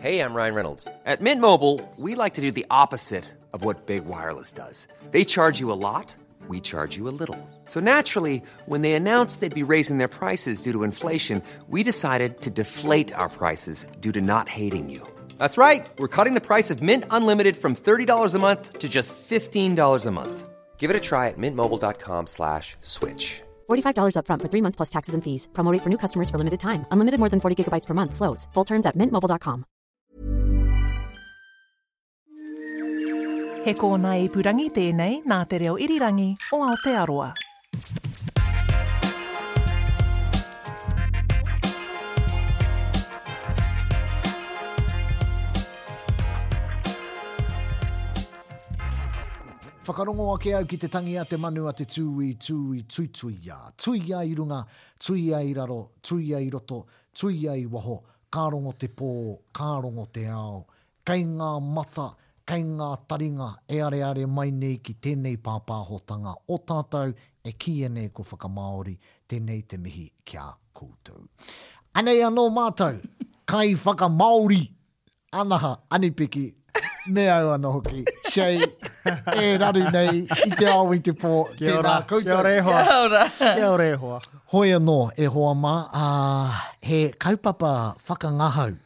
Hey, I'm Ryan Reynolds. At Mint Mobile, we like to do the opposite of what Big Wireless does. They charge you a lot, we charge you a little. So naturally, when they announced they'd be raising their prices due to inflation, we decided to deflate our prices due to not hating you. That's right. We're cutting the price of Mint Unlimited from $30 a month to just $15 a month. Give it a try at mintmobile.com slash switch. $45 upfront for three months plus taxes and fees. Promo rate for new customers for limited time. Unlimited more than 40 gigabytes per month. Slows. Full terms at mintmobile.com. He kōnae ipurangi tēnei nā Te Reo Irirangi o Aotearoa. Whakarongo ake au ki te tangi a te manu a te tūī, tūī, tuituia. Tuia i runga, tuia i raro, tuia i roto, tuia i waho, ka rongo te pō, ka rongo te ao. Kei ngā mata, kei ngā taringa e areare mai nei ki tēnei pāpāhotanga o tātou e kīia nei ko Whakamāori, tēnei te mihi ki a koutou. Anei anō mātou, kaiwhakamāori! Anaha, Anipiki, me au ano hoki, Shay, e raru nei i te ao i te pō, Kia ora, tēnā koutou. Kia ora e hoa. Kia ora. Kia ora e hoa. Hoi anō, e hoa mā, ā, he kaupapa whakangahau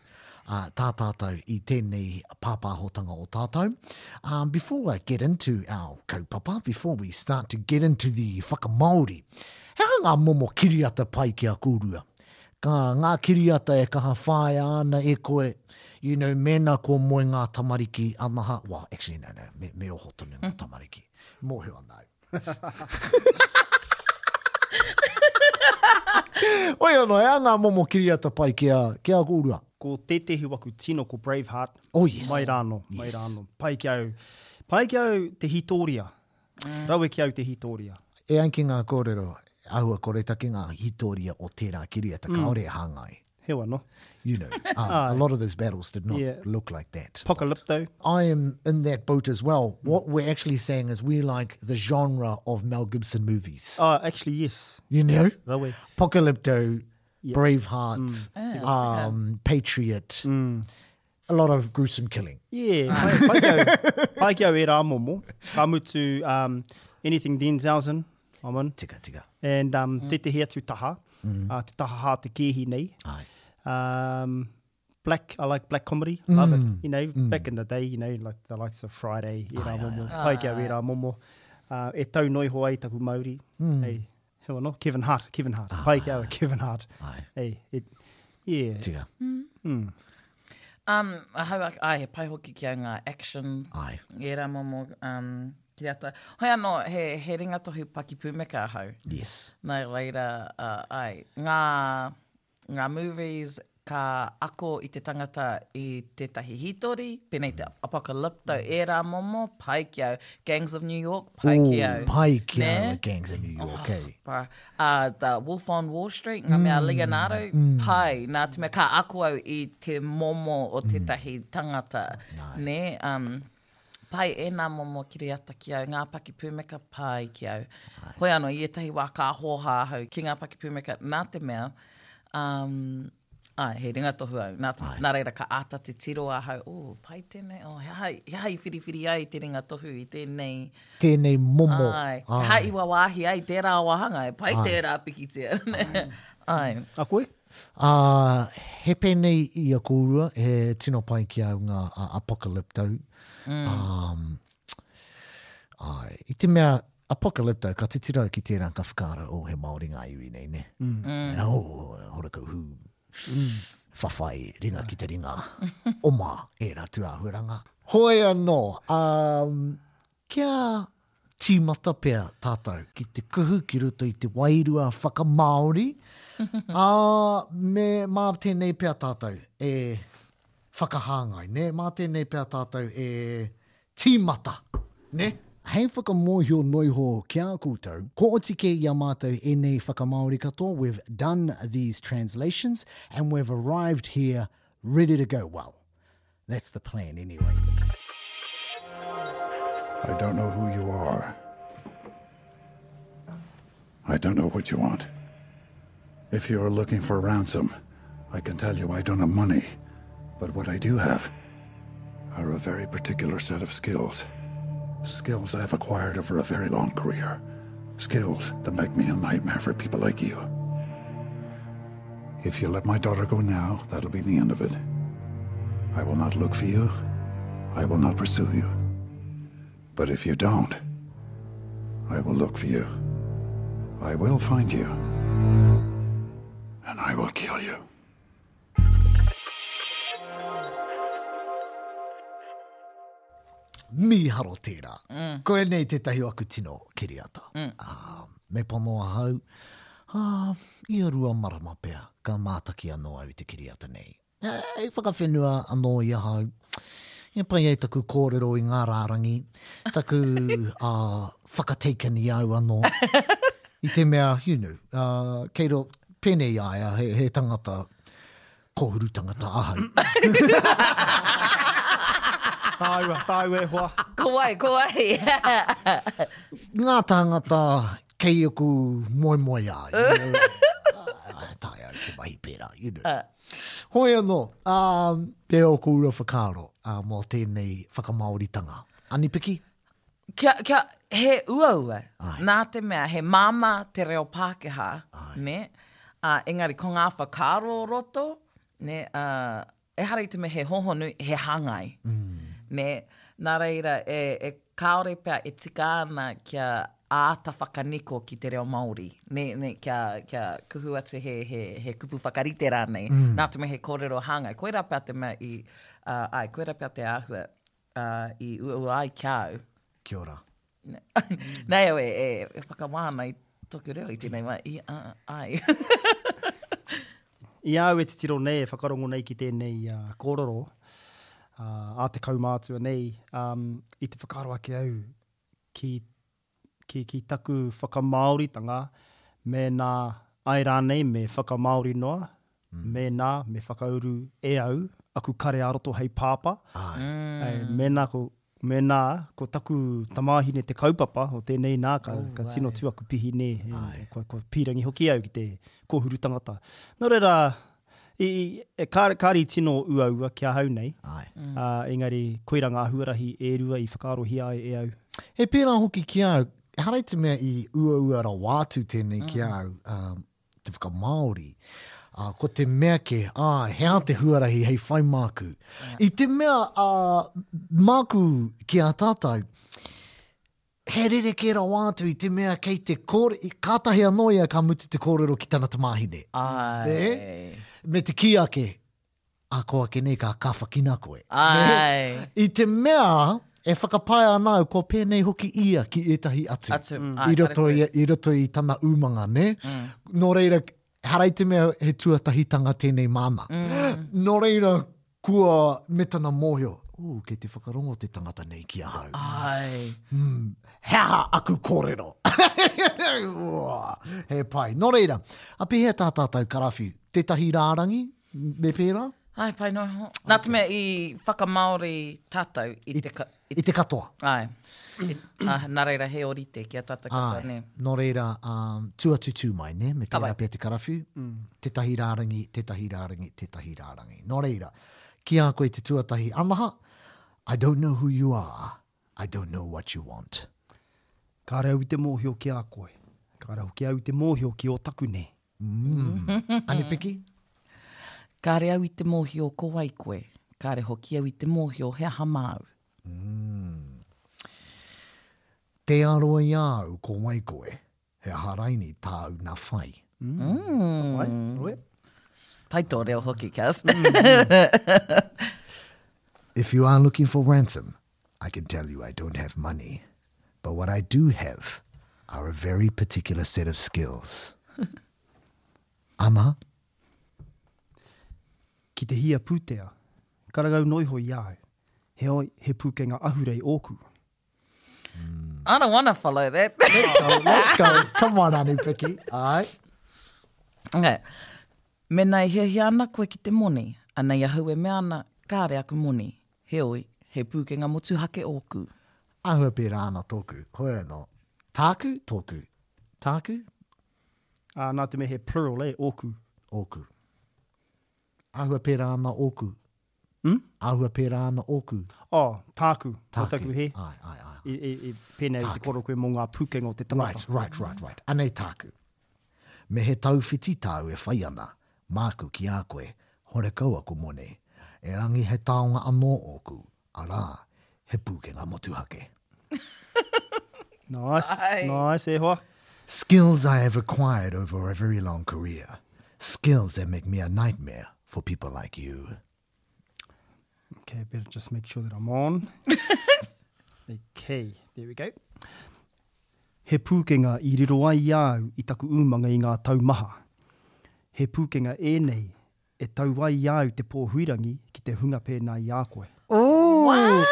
ā, tā tātou i tēnei pāpāhotanga o tātou. Um, before I get into our kaupapa, before we start to get into the whakamāori, he aha ngā momo kiriata pai ki a kōrua? Ka, ngā kiriata e kaha whāia ana e koe, you know, mēnā kua moe ngā tamariki anaha, well, actually, no, no, me, me oho tonu ngā tamariki. Mōhio ana au. Hoi anō, he aha ngā momo kiriata pai ki a, ki a kōrua? Ko tētehi waku tino ko Braveheart. Oh, yes. Mai rānō, mai Yes. rānō. Pai ki au, pai ki au te hītōria. Rawe ki au te hītōria. E ai ki ngā kōrero, āhua koretake ngā hītōria o tērā kiriata, kāore e hāngai. Heoi anō. You know, um, a lot of those battles did not yeah. look like that. Apocalypto. I am in that boat as well. What we're actually saying is we like the genre of Mel Gibson movies. Oh, actually, yes. You know? Rawe. Apocalypto, yeah. Braveheart, mm. um, Patriot. Mm. A lot of gruesome killing. Yeah, pai, pai ki au, pai ki au ērā momo. Ka mutu, um, anything Denzel's in, I'm in. Tika, tika. And um, mm. tētehi atu taha, mm. uh, te taha hā te kēhi nei. Ai. Um, black, I like black comedy, love mm. it. You know, mm. back in the day, you know, like the likes of Friday, ērā ai, momo. Ai, pai ki au ērā momo. Uh, e tau noi hoa i taku mauri. Mm. Hey, Heo anō, Kevin Hart, Kevin Hart. Ah, Pai ki au, Kevin Hart. Ai. Ei, it, yeah. Tika. Mm. Mm. Um, ahau, ai, he pai hoki ki au ngā action. Ai. Ērā momo um, kiriata. Hoi anō, he, he ringatohu pakipūmeka ahau. Yes. Nā reira, uh, ai, ngā, ngā movies ka ako i te tangata i tētahi hītori, pēnei te Apocalypto, ērā momo, pai ki au. Gangs of New York, pai ki au. Ooh, pai ki au Nē? a Gangs of New York, Oh, eh? Bro. Uh, the Wolf on Wall Street, ngā mea Leonardo, pai. Nā te mea ka ako au i te momo o tētahi tangata. Nē? Um, pai ēnā momo kiriata ki au, ngā pakipūmeka pai ki au. Hoi anō, i ētahi wā ka hōhā ahau ki ngā pakipūmeka nā te mea, um, āe, he ringatohu au, nā, te, nā reira ka āta titiro ahau, oh, pai tēnei, oh, he aha, he aha i whiriwhiri ai te ringatohu i tēnei. Tēnei momo. Āe, he aha i wawāhi ai tērā wāhanga, e pai tērā pikitia. Āe. A koe? Ā, he pēnei i a kōrua, he tino pai ki au ngā Apocalypto. Mm. Āe, i te mea, Apocalypto, ka titiro au ki tērā ka whakaaro, oh, he Māori ngā iwi nei, ne? Mm. Mm. Oh, horakau hū, mm. whawhai, ringa ki te ringa, oma, ērā tūāhuaranga. Hoi anō, um, kia tīmata pea tātou ki te kuhu ki roto i te wairua whakamāori, ā, me, mā tēnei pea tātou e whakahāngai, nē? Mā tēnei pea tātou e tīmata, nē? Hei whakamōhio noiho ki a koutou, kua oti kē i a mātou ēnei whakamāori katoa, we've done these translations and we've arrived here ready to go, well, That's the plan anyway. I don't know who you are. I don't know what you want. If you're looking for ransom, I can tell you I don't have money. But what I do have are a very particular set of skills. Skills I've acquired over a very long career. Skills that make me a nightmare for people like you. If you let my daughter go now, that'll be the end of it. I will not look for you. I will not pursue you. But if you don't, I will look for you. I will find you. And I will kill you. Mīharo tērā. Mm. Koinei tētahi o aku tino kiriata. Mm. Uh, me pono ahau, uh, ia rua marama pea, ka mātaki anō au i te kiriata nei. Hei whakawhenua anō i ahau. Ia pai ai taku kōrero i ngā rārangi, taku uh, whakataken i au anō. I te mea, you know, uh, kei ro, pēnei a ia, he, he tangata, kōhuru tangata ahau. Tāua, tāua e hoa. Ko wai, ko wai. Ngā tāngata kei aku moemoeā, you know. Taea au te mahi pērā, you know. Uh. Hoi anō, um, te o kōrua whakaaro uh, mō tēnei whakamāoritanga. Anipiki? Kia, kia, he uaua, Ai. nā te mea he māmā te reo Pākehā, Ai. nē? Ā, engari ko ngā whakaaro o roto, nē, ā, ehara i te mea he hōhonu, he hāngai, mm. nē? Nā reira, e, e, kāore pea e tika ana kia āta whakaniko ki te reo Māori, nē, nē, kia, kia kuhu atu he, he, he kupu whakarite rānei, mm. nā te mea he kōrero hāngai. Koirā pea te mea i, ā, āe, koirā pea te āhua. uh, i uaua ai ki a au. Kia ora. Nei au e, e, e whakawā ana i toku reo i tēnei wā, i a, ai. I a au e titiro nei, e whakarongo nei ki tēnei uh, kōrero, uh, a te kaumātua nei, um, i te whakaaro ake au ki, ki, ki taku whakamāoritanga, mēnā ai rānei me whakamāori noa, mm. mēnā me whakauru e au aku kare ā-roto hei pāpā. Ai. Mm. Mēnā ko, mēnā ko taku tamāhine te kaupapa o tēnei nā, ka, oh, ka tino tū aku pihi nē, kua, kua pīrangi hoki au ki te kōhuru tangata. Nō reira, i, i, kāre, kāre i tino uaua ki ahau nei, Ai. Mm. Uh, engari koira ngā huarahi e rua i whakaarohia ai e au. He pērā hoki ki a au, ehara i te mea i uaua rawa atu tēnei mm. ki a au, um, te whakamāori, ā, ko te mea kē, āe, he aha te huarahi hei whai māku? I te mea, ā, māku ki a tātou, he rerekē rawa atu i te mea kei te kōre, kātahi anō ia ka mutu te kōrero ki tana tamāhine. Āe. Nē? Me te kī ake, Ā, ko ake nei ka kāwhakina koe. Āe. I te mea e whakapae ana au kua pēnei hoki ia ki ētahi atu. Atu, mm. āe, I roto, i, i roto i tana umanga, nē? Mm. Nō reira, ehara i te mea he tuatahitanga tēnei māna. Mm. Nō reira, kua me tana mōhio, ū, kei te whakarongo te tangata nei ki ahau. Āe. Mm. He aha aku kōrero? He pai. Nō reira, a pēhea tā tātou karawhiu? Tētahi rārangi? Me pērā? Ai, pai noa iho. Nā te mea i whakamāori tātou i te... Ka, i, I te katoa. Ai. I, ah, nā reira he orite ki a tātou katoa, nē. Nō reira, um, tū atu tū mai, nē? Me tērā pea te karawhiu. Mm. Tētahi rārangi, tētahi rārangi, tētahi rārangi. Nō reira, ki a koe te tuatahi, Anaha, I don't know who you are, I don't know what you want. Kāre au i te mōhio ki a koe. Kāre hoki au i te mōhio ki ō takune. Mm. Anipiki? Kāre au i te mōhio ko wai koe. Kāre hoki au i te mōhio he aha māu. Mm. Tē aro i a au ko wai koe, he aha raini tāu na whai. Mm. Whai, roe. Pai tō reo hoki, Kaz. If you are looking for ransom, I can tell you I don't have money, but what I do have are a very particular set of skills. Ana? Ki te hia pūtea, karangau noiho i a au, heoi, he pūkenga ahurei ōku. I don't wanna follow that. Let's go, let's go. Come on, Anipiki. All right. Okay. Mena e hiahia ana koe ki te moni, anei ahau e mea ana, kāre aku moni. Heoi, he pūkenga motuhake ōku. Āhua pērā ana tōku, hoi anō. Tāku, tōku. Tāku? Ā, nā te mea he plural, e, ōku. Ōku. Āhua pērā ana ōku. Mm? Āhua pērā ana ōku. Oh, tāku. Tāku. Taku he. Ai, ai, ai. I, i, i pēnei i te koro koe mō ngā pūkenga o te tangata. Right, right, right, right. Anei tāku. Me he tauwhiti tāu e whai ana, māku ki a koe, horekau aku moni. Erangi he taonga anō ōku, arā, he pūkenga motuhake. Nice, Ai. nice, e hoa. Skills I have acquired over a very long career. Skills that make me a nightmare for people like you. Okay, better just make sure that I'm on. okay, there we go. He pūkenga i riro ai i a au i taku umanga i ngā tau maha. He pūkenga ēnei e tau ai i a au te pō huirangi ki te hunga pēnā i a koe. Ooh!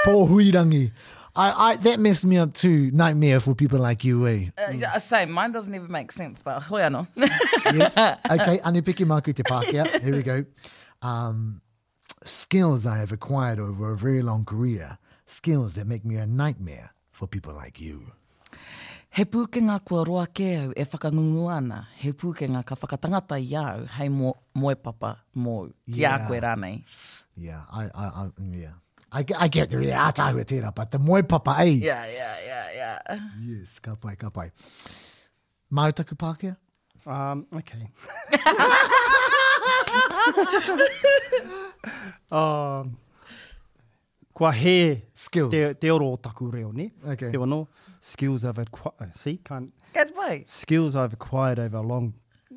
Pō huirangi. I, I, that messed me up too, nightmare for people like you, eh? Uh, same, mine doesn't even make sense, but hoi anō. yes. Okay, Anipiki māku te Pākehā. Here we go. Um, skills I have acquired over a very long career. Skills that make me a nightmare for people like you. He pūkenga kua roa kē au e whakangungua ana, he pūkenga ka whakatangata i a au hei moepapa mōu, ki a koe rānei. Yeah, I, I, I, yeah. I, I get the ātaahua tērā, but the moepapa, eh? Yeah, yeah, yeah, yeah. Yes, ka pai, ka pai. Māu taku Pākehā? Um, okay. um, kua hē skills. Te, te oro o taku reo, ne? Okay. He anō, skills I've acquired, see, can't... Ka pai. Skills I've acquired over a long...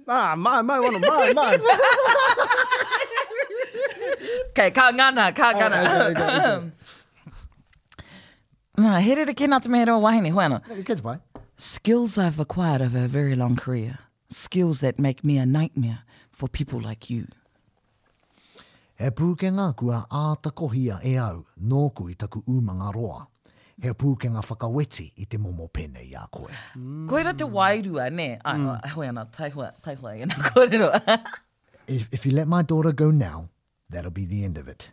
Ah, mai, mai, wano, mai, mai. Okay, ka ngana, ka ngana. Oh, okay, okay, okay. Nā, he rerekē nā te mea he reo wahine, hoi anō. Ka pai. Skills I've acquired over a very long career. Skills that make me a nightmare for people like you. He pūkenga kua āta kohia e au nōku i taku umanga roa. He pūkenga whakaweti i te momo pēnei i a koe. Koira te wairua, nē? Ai, hoi ana, taihoa, taihoa i ēnā kōrero. If, if you let my daughter go now, that'll be the end of it.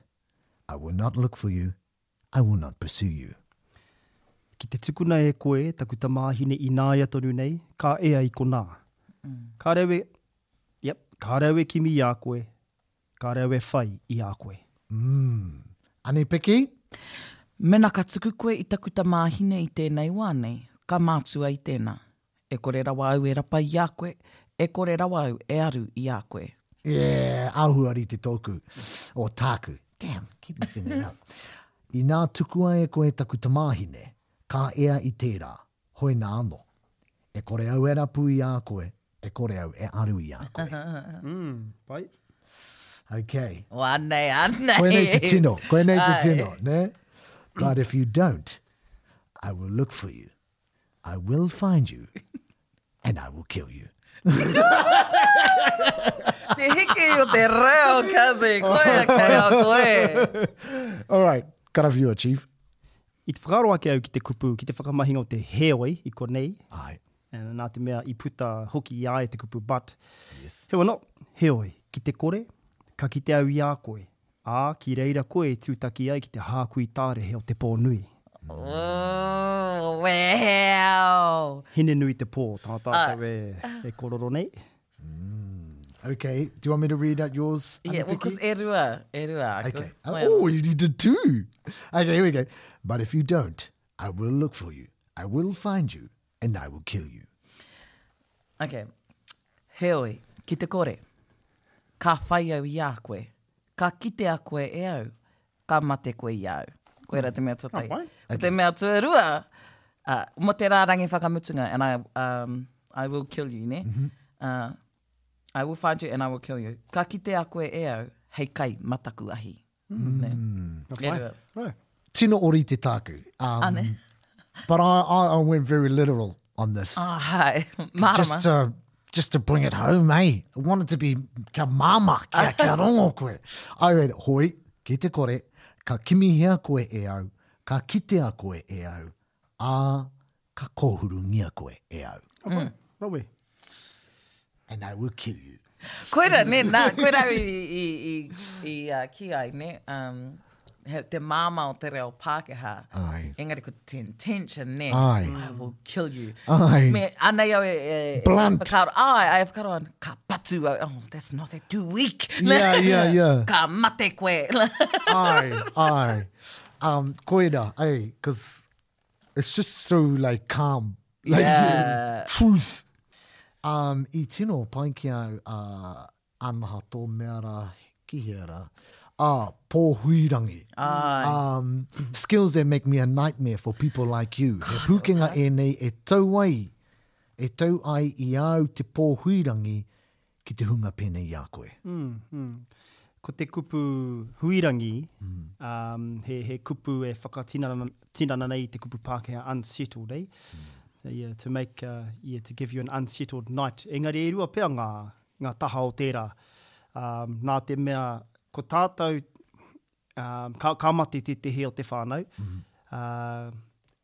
I will not look for you, I will not pursue you. Ki te tukuna e koe taku tamāhine ināia tonu nei, ka ea i konā. Kāre au e, yep, kāre au e kimi i a koe, kāre au e whai i a koe. Mm. Anei Piki? Mena ka tuku koe i taku tamāhine i tēnei wā nei, ka mātua i tēnā. E kore rawa au e rapa i a koe, e kore rawa au e aru i a koe. Yeah, āhua rite tōku, or tāku. Damn, keep messing that up. Inā tukua e koe taku tamāhine, ka ea i tērā, hoi nā anō. E kore au e rapu i a koe, e kore au e aru i a koe. Mm, pai. Okay. Oh, anei, anei. Koinei te tino, koinei te tino, ne? But if you don't, I will look for you. I will find you and I will kill you. Te hiki o te reo, Kazi. Koia kei a koe. All right, karawhiua, Chief. I te whakaaro ake au ki te kupu, ki te whakamahinga o te heoi i konei. Ai. Nā te mea i puta hoki i a ia te kupu but. Yes. Heoi anō, heoi, ki te kore, ka kite au i a koe. Ā, ki reira koe e tūtaki ai ki te hākui tārehe o te pō nui. Oh, well. Hine-nui te pō, tā tātou e, e kororo nei. Okay, do you want me to read out yours? Yeah, well, because e rua, e rua. Okay. Oh, you did two. Okay, here we go. But if you don't, I will look for you. I will find you, and I will kill you. Okay. Heoi, ki te kore, ka whai au i a koe, ka kitea koe e au, ka mate koe i a au. Koira te mea tuatahi. Ka pai. Ko te mea tuarua, uh, mo te rārangi whakamutunga, and I, um, I will kill you, ne? Mm -hmm. uh, I will find you and I will kill you. Ka kitea koe e au, hei kai mataku ahi. Mm. Ka pai. Right. Tino orite tāku. Um, Ane. But I, I, I went very literal on this. Oh, hai. Mārama. Just to, just to bring it home, eh? I wanted to be kia māmā, kia, kia rongo koe. I read, hoi, ki te kore, ka kimihia koe e au, ka kitea koe e au, ā, ka kōhurungia koe e au. Mm. Rawe. And I will kill you. Koira, ne, nā, koira i, i, i, i uh, ki ai, ne, um, he, te māmā o te reo Pākehā. Ai. Engari ko te intention, nē. Ai. I will kill you. Ai. Me, anei au e, e, e Blunt. whakaaro, ai, ai, whakaaro ana, ka patu au, oh, that's not that too weak. Yeah, yeah, yeah. Ka mate koe. Ai, ai. Um, koira, ai, cause it's just so like calm. Like, Yeah. truth. Um, i tino pai ki au, uh, Anaha tō mea rā, ki hea rā? Ah, Pōhuirangi. Ai. Um, skills that make me a nightmare for people like you. He pūkenga ēnei e tau ai, e tau ai i a au te pōhuirangi ki te hunga pēnei i a koe. Mm, mm. Ko te kupu huirangi, mm. um, he, he kupu e whakatinana tinana nei i te kupu Pākehā unsettled, eh? Mm. So, yeah, to make, uh, yeah, to give you an unsettled night. Engari e rua pea ngā, ngā taha o tērā. Um, nā te mea, ko tātou, um, ka, ka mate tētehi o te whānau, mm -hmm. uh,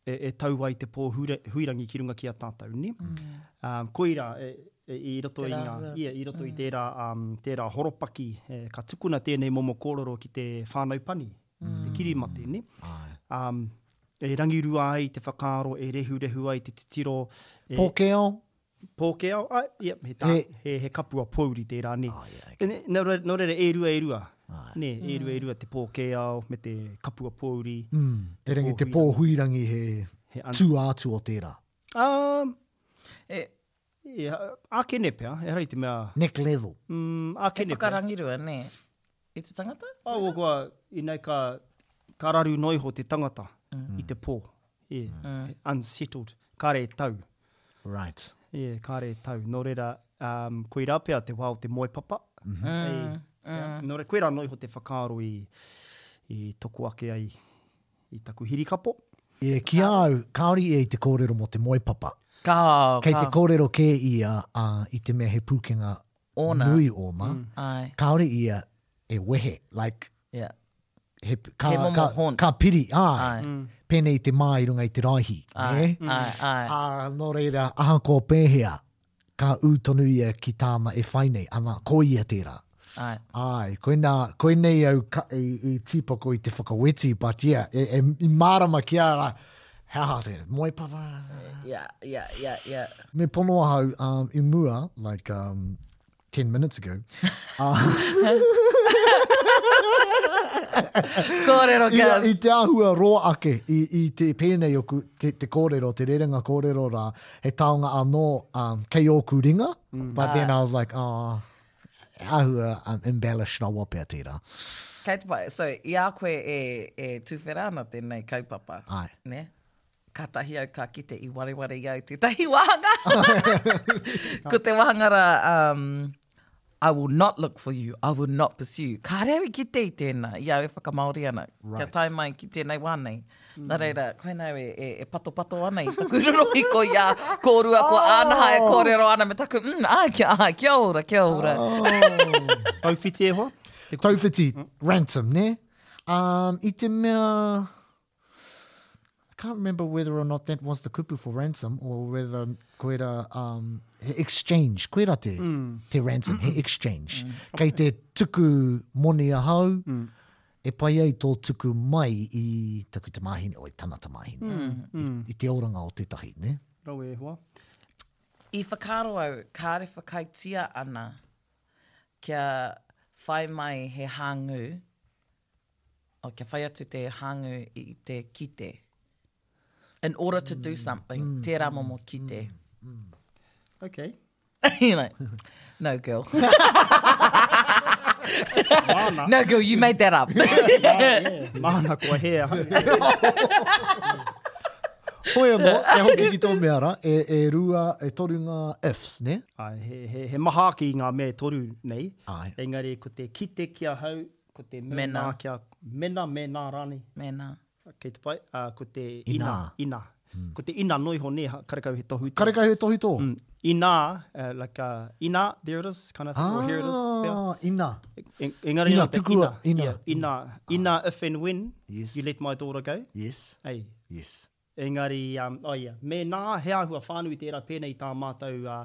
e, e tau ai te pō hure, huirangi ki runga ki a tātou, ne? Mm. Um, koira, e, e, i roto i ngā, ia, i roto mm. i tērā, um, tērā horopaki, e, ka tukuna tēnei momo kōrero ki te whānau pani, mm. te kirimate, ne? Um, e rangirua ai te whakaaro, e rehurehu ai te titiro. E, Pōkeo? Pōkeo, ai, ia, he, tā, he, he, he kapua pōuri tērā, nē. Oh, yeah, okay. Nō, nō reira, e rua, e rua. Ai. Nē, e rua, e rua te pōkēao me te kapua pōuri. Mm. E rangi te pōhuirangi he, he un... tū ātu o tērā. Um, e... Yeah, ākene pea, ehara i te mea... Neck level. Mm, ākene pea. He whakarangirua, nē. I te tangata? Oh, kua, inei ka, ka raru noa iho te tangata mm. i te pō. Yeah. Mm. Unsettled. Kāre e tau. Right. Yeah, kāre e tau. Nō reira, um, koirā pea te wā o te moepapa. Mm -hmm. Ei, mm. Yeah. Nō reira, koirā noa iho te whakaaro i, i toko ake ai i taku hirikapo. Yeah, ki a au, kāore ia i te kōrero mō te moepapa. Ka, Kei te kōrero kē ia uh, i te mea he pūkenga ōna. nui ōna. Mm. Ai. Kāore ia e wehe, like, yeah. he, ka, he momo ka, haunt. ka piri, ai, ai. Mm. Pēnei i te mā i runga i te raihi. Ai, ne? ai, ai. Ā, nō reira, ahakoa pēhea, ka ū tonu ia ki tāna e whai nei, ana, ko ia tērā. Ai. Ai, koinā, koinei au ka, i, i tīpako i te whakaweti, but yeah, e, e, i mārama ki a rā, he aha tērā, moe papa. Yeah, yeah, yeah, yeah. Me pono ahau um, i mua, like, um, 10 minutes ago. Uh, kōrero, Gus. I, i te āhua roa ake, i, i te pēnei oku, te, te kōrero, te rerenga kōrero rā, he taonga anō um, kei ōku ringa, mm. but then I was like, oh, āhua um, embellish rawa pea tērā. Kei te pai, so i a koe e, e tūwhera ana tēnei kaupapa, Ai. ne? Kātahi au ka kite i wareware i au tētahi wāhanga. Ko te wāhanga rā, um, I will not look for you, I will not pursue you. Kāre au i kite i tēnā, i au e whakamāori ana, right. kia tae mai ki tēnei wā nei. Mm. Nā reira, koinā au e, e, e patopato ana i taku rorohiko i a kōrua ko oh. Ānaha e kōrero ana me taku, mm, ai, kia, ai, kia ora, kia ora. Oh. Tauwhiti e hoa? Tauwhiti, ransom, ne? Um, i te mea... I can't remember whether or not that was the kupu for ransom or whether koira um, he exchange, koira te, mm. te ransom, he exchange. Mm. Kei te tuku moni ahau, mm. e pai ai tō tuku mai i taku tamāhine, o i tana tamāhine, mm. I, mm. i te oranga o tētahi, ne? Rawe e hoa. I whakaaro au, kāre whakaaetia ana kia whai mai he hāngū, oh, kia whai atu te hāngū i te kite. In order to do something, mm, tērā momo kite. Mm, mm. Okay. You're like, no girl. Māna. No girl, you made that up. yeah, Māna kua hē ahau. Hoi anō, e hoki ki tō mea rā, e, e rua, e toru ngā ifs, ne? Ai, he, he, he maha ake i ngā mea e toru nei. Ai. Engari ko te kite ki ahau, Ko te mena kia, mena, mēnā rānei. Mēnā. Kei te pai, ā, ko te ina, ina. Ko te ina noa iho nē, karekau he tohutō. Karekau he tohutō? Mm. Inā, uh, like, uh, inā, there it is, kind of thing, or here it is. Ah, ina. Engari ina, tukua, ina. Yeah, ina, ina, if and when yes. you let my daughter go. Yes. Ei. Yes. Engari, um, oh yeah, mēnā, he āhua whānui tērā pēnei i tā mātou uh,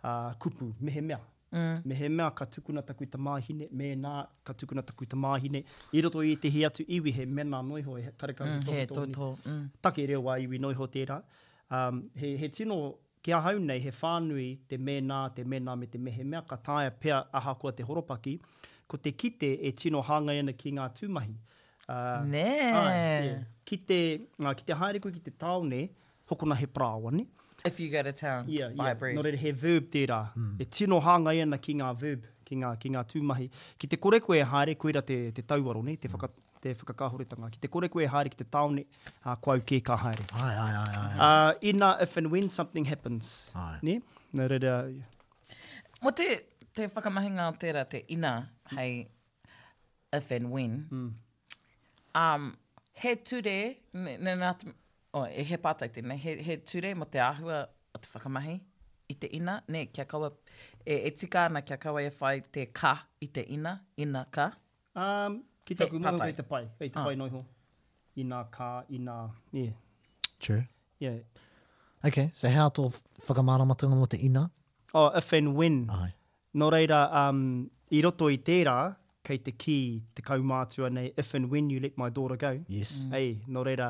uh, kupu, mehemea. Mehemea ka tukuna taku tamāhine, mēnā ka tukuna taku tamāhine, i roto i ētehi atu iwi he mena noa iho, he karekau he tohutohu. He tohutohu. Take reo ā-iwi noa iho tērā. He, he tino, ki ahau nei, he whānui te mēnā, te mena me te mehemea, ka taea pea ahakoa te horopaki, ko te kite e tino hāngai ana ki ngā tūmahi. Nē. Āe, yeah. Ki te, ki te haere koe ki te tāone, hokona he parāoa, nē? If you go to town, yeah, buy yeah. bread. Nō reira, he verb tērā. Mm. E tino hāngai ana ki ngā verb, ki ngā, ki ngā tūmahi. Ki te kore koe e haere, koira te, te tauaro, nē? Te, whaka, te whakakāhoretanga. Ki te kore koe e haere ki te tāone, ā, ko au kē ka haere. Ai, ai, ai, ai. Uh, ina, if and when something happens. Ai. Nē? Nō reira... Mō te, te whakamahinga o tērā, te ina, hei if and when. Mm. Um, he ture, ne, ne, nā, oh, e he pātai tēnei, he, he ture mō te āhua o te whakamahi i te ina, ne, kia kaua, e, e tika ana kia kaua e whai te ka i te ina, ina ka. Um, ki taku moho kei te pai, kei te ah. pai noiho. Ina ka, ina, yeah. True. Yeah. Okay, so hea tō whakamāramatanga mō te ina? Oh, if and when. Ai. Nō reira, um, i roto i tērā, kei te kī te kaumātua nei, if and when you let my daughter go. Yes. Mm. Ei, nō reira,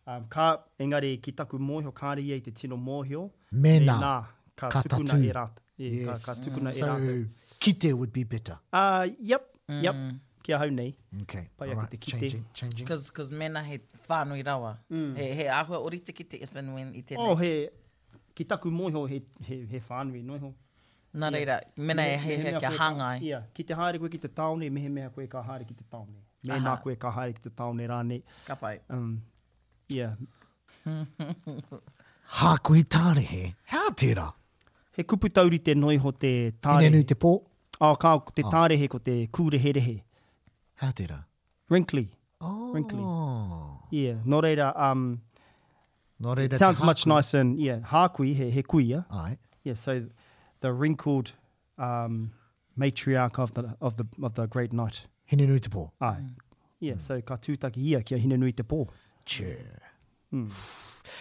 um, ka, engari ki taku mōhio, kāre ia i te tino mōhio, mēnā, mēnā ka, ka tukuna tatū. e rātou. Yeah, Yes. ka, ka tukuna mm. e rātou. So, kite would be better. Uh, yep, mm. yep, ki ahau nei. Okay. Pai ake Alright. te kite. Changing, changing. Cause, cause mēnā he whānui rawa. Mm. He, he āhua orite ki te if and when i tēnei. Oh, he, ki taku mōhio, he, he, he whānui noiho. Nā reira, mena e hiahia kia hāngai. Ia, ki te haere koe ki te tāone, mehemea koe ka haere ki te tāone. Mēnā koe ka haere ki te tāone rānei. Ka pai. Um, ia. Hākui tārehe, hea tērā? He kupu taurite noa iho te tārehe. Hinenui te pō? Oh, ka, te tārehe ko te kūreherehe. Hea tērā? Wrinkly. Oh. Wrinkly. Yeah, nō reira, um, Nō reira it sounds te much hākui. nicer in, yeah, hākui, he, he kuia. Ai. Yeah, so the wrinkled um, matriarch of the, of the, of the great night. Hinenui te pō. Ai. Yeah, mm. so ka tūtaki ia ki a Hinenui te pō. Sure. Mm.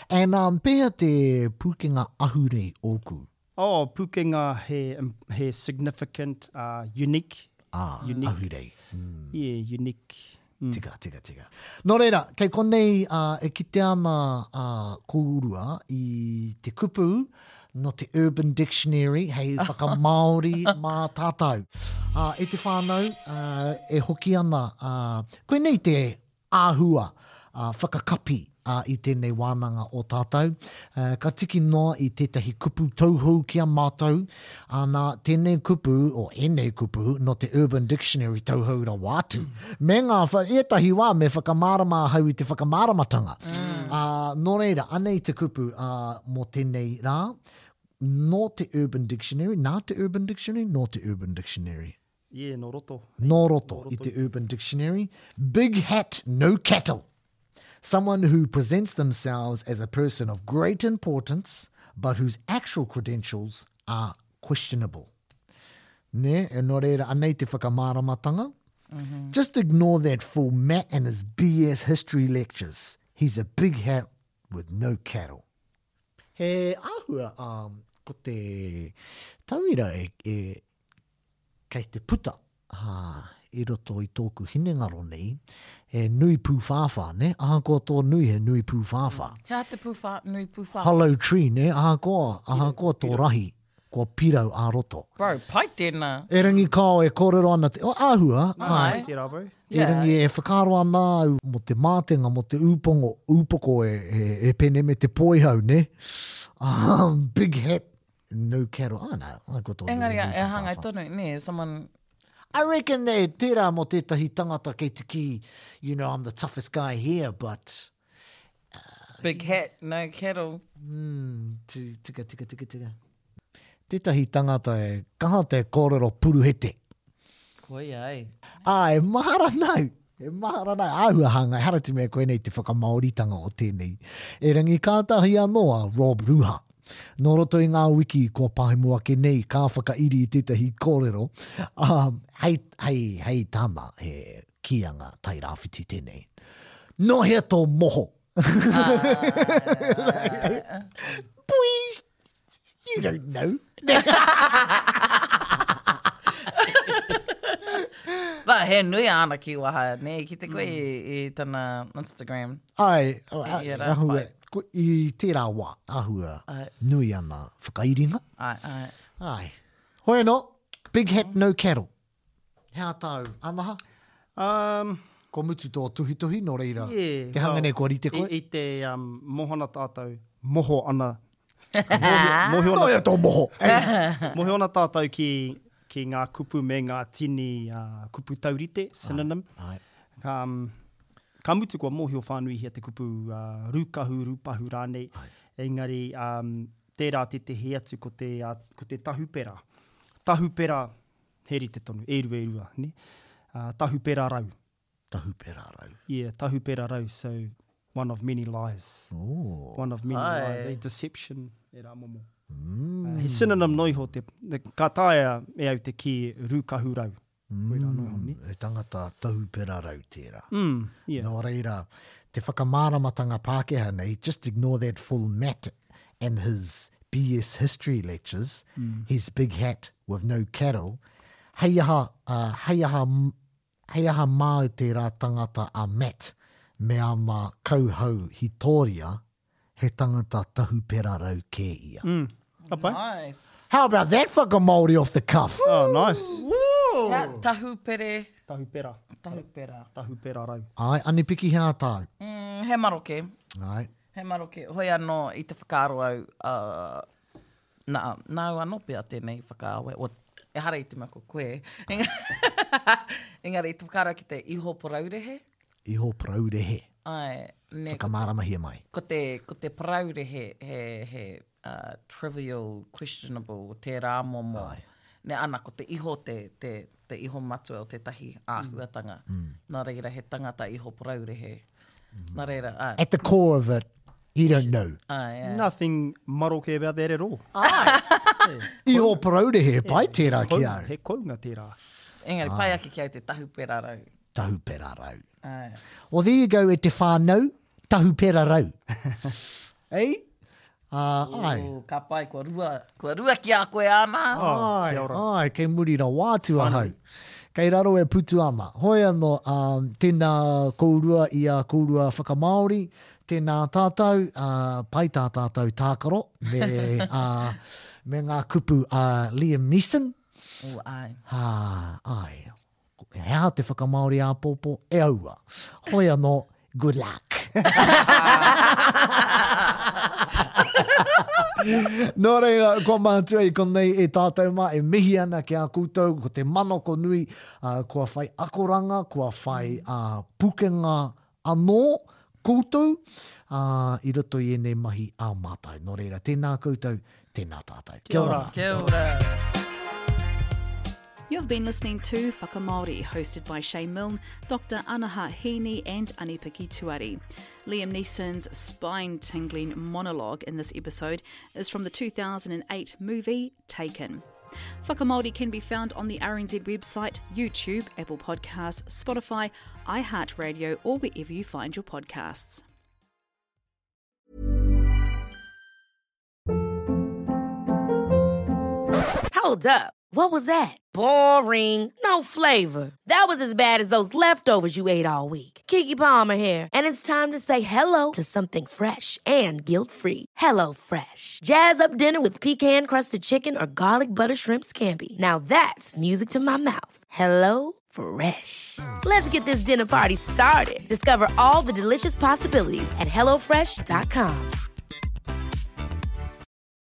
And um, pēhea te pūkenga ahurei ōku? Oh, pūkenga he, he significant, uh, unique. Ah, unique. ahurei. Mm. Yeah, unique. Mm. Tika, tika, tika. Nō reira, kei konei uh, e kite ana uh, kōrua i te kupu nō te Urban Dictionary hei whakamāori mā tātou. Uh, e te whānau, uh, e hoki ana, uh, koinei te āhua whakakapi i tēnei wānanga o tātou. Ka tiki noa i tētahi kupu tauhou ki a mātou, ana, tēnei kupu, o ēnei kupu, nō te Urban Dictionary tauhou rawa atu. Me ngā, ētahi wā me whakamārama ahau i te whakamāramatanga. Ā, nō reira, anei te kupu, ā, mō tēnei rā, nō te Urban Dictionary, nā te Urban Dictionary, nō te Urban Dictionary. Yeah, nō roto. Nō roto i te Urban Dictionary. Big hat, no cattle. Someone who presents themselves as a person of great importance, but whose actual credentials are questionable. Nē, e nō reira, anei te whakamāramatanga. Mm -hmm. Just ignore that fool Matt and his BS history lectures. He's a big hat with no cattle. He āhua, um, ko te tauira e, e, kei te puta i roto i tōku hinengaro nei, he nui pūwhāwhā, nē? Ahakoa tō nui, he nui pūwhāwhā. He aha te pūwhā, nui pūwhāwhā? Hollow tree, nē? Ahakoa, ahakoa tō rahi, kua pirau ā-roto. Bro, pai tēnā. Erangi kao e kōrero ana te, oh, āhua, Nā, āe. pai tērā, bro. Erangi e whakaaro ana au mō te mātenga, mō te ūpongo, ūpoko e, e, e pene me te poihau, nē? Um, big hat, No cattle. Ah, no, I got all Engari, e hāngai tonu, nē, someone... I reckon they, tērā mō tētahi tangata kei te kī, you know, I'm the toughest guy here, but... Uh, Big hat, no cattle. Mm, tika, tika, tika, tika. Tētahi tangata e kaha te kōrero puruhete. Koia, e. Ā, e mahara nau, e mahara nau, āhua hāngai, ehara te mea koinei te whakamāoritanga o tēnei. Erangi kātahi anō a Rob Ruha. Nō roto i ngā wiki kua pahemo ake nei, ka whakairi i tētahi kōrero, ā, hei, hei, hei tāna, he kīanga Tairāwhiti tēnei. Nō hea tō moho? Pui! You don't know. Well, he nui āna kīwaha, nē, i kite koe i, i tana Instagram. Ai, I ia rā, ahua, pai. ko, i tērā wā, ahua Ai. nui ana whakairinga. Ai, ai. Ai. Hoi anō, big hat no cattle. He aha tāu, Anaha? Um, Kua mutu tō tuhituhi, nō reira, yeah, te hanga well, nei kua rite koe? I, i te um, mohana tātou, moho ana. Mōhio, mōhio Nō ana, ia tō moho! Ei. mōhio ana tātou ki, ki ngā kupu me ngā tini uh, kupu taurite, synonym. Ai. Um, ka mutu kua mōhio whānuihia te kupu uh, rūkahu, rūpahu rānei. Engari, um, tērā tētehi atu ko te, uh, ko te tahupera. Tahupera, he rite tonu, e rua e rua, ne? Uh, tahupera rau. Tahupera rau. Yeah, tahupera rau, so one of many lies. Oh. One of many Ai. lies, a deception, e rā momo. Mm. Uh, he synonym no iho te, te, ka taea e au te kī rūkahu rau. Mm. Koirā no iho, ne? He tangata tahupera rau tērā. Mm, yeah. Nō reira, te whakamāramatanga Pākehā nei, just ignore that full Matt and his BS history lectures, mm. his big hat with no cattle, hei aha, uh, hei aha, hei aha māu tērā tangata a Matt me ana kauhau hitoria, he tangata tahupera rau kē ia. Mm. Ka pai? Nice. How about that whakamāori off the cuff? Oh, nice. Hea, tahupere, Tahupera. tahupera. Tahupera rau. Ai, Anipiki he aha tāu? Mm, he maroke. Ai. He maroke. Hoi anō i te whakaaro au, uh, nā, nāu anō pea tēnei whakaawe, o, ehara i te mea ko koe, engari i te whakaaro ki te iho paraurehe. Iho paraurehe. Ai, ne, ko, Whakamāramahia mai. ko te, ko te paraurehe he, he uh, trivial, questionable, tērā momo. Ai. Ne, ana, ko te iho te, te, te iho matua o tētahi āhuatanga. Mm. Nā reira, he tangata iho paraurehe. Mm. Nā reira, ai. At the core of it, you don't know. Ai, ai. Nothing maroke about that at all. Iho paraurehe, pai tērā ki Kou, au. he kounga tērā. Engari, pai ake ki au te tahupera rau. Tahupera rau. Ai. Well, there you go e te whānau, tahupera rau. Ei? Uh, ai. Ooh, ka pai, kua rua, kua rua ki a koe ana. Oh, Ai, kia ora. ai, kei muri rawa atu ahau. Kei raro e putu ana. Hoi anō, um, tēnā kourua i a kourua whakamāori, tēnā tātou, uh, pai tā tātou tākaro, me, uh, me ngā kupu a Liam Neeson. Ooh, ai. Ha, ai. He aha te whakamāori āpōpō? E aua. Hoi anō, good luck. Nō reira, kua mātua i konei e tātou mā, e mihi ana ki a koutou, ko te manako nui, uh, kua whai akoranga, kua whai uh, pukenga anō koutou uh, i roto i ēnei mahi a mātou. Nō reira, tēnā koutou, tēnā tātou. Kia ora. Kia ora. You've been listening to Whakamāori, hosted by Shay Milne, Dr. Anaha Heaney and Anipiki Tuari. Liam Neeson's spine-tingling monologue in this episode is from the 2008 movie Taken. Whakamāori can be found on the RNZ website, YouTube, Apple Podcasts, Spotify, iHeartRadio, or wherever you find your podcasts. Hold up. What was that? Boring. No flavor. That was as bad as those leftovers you ate all week. Keke Palmer here, and it's time to say hello to something fresh and guilt-free. Hello Fresh. Jazz up dinner with pecan-crusted chicken or garlic butter shrimp scampi. Now that's music to my mouth. Hello Fresh. Let's get this dinner party started. Discover all the delicious possibilities at hellofresh.com.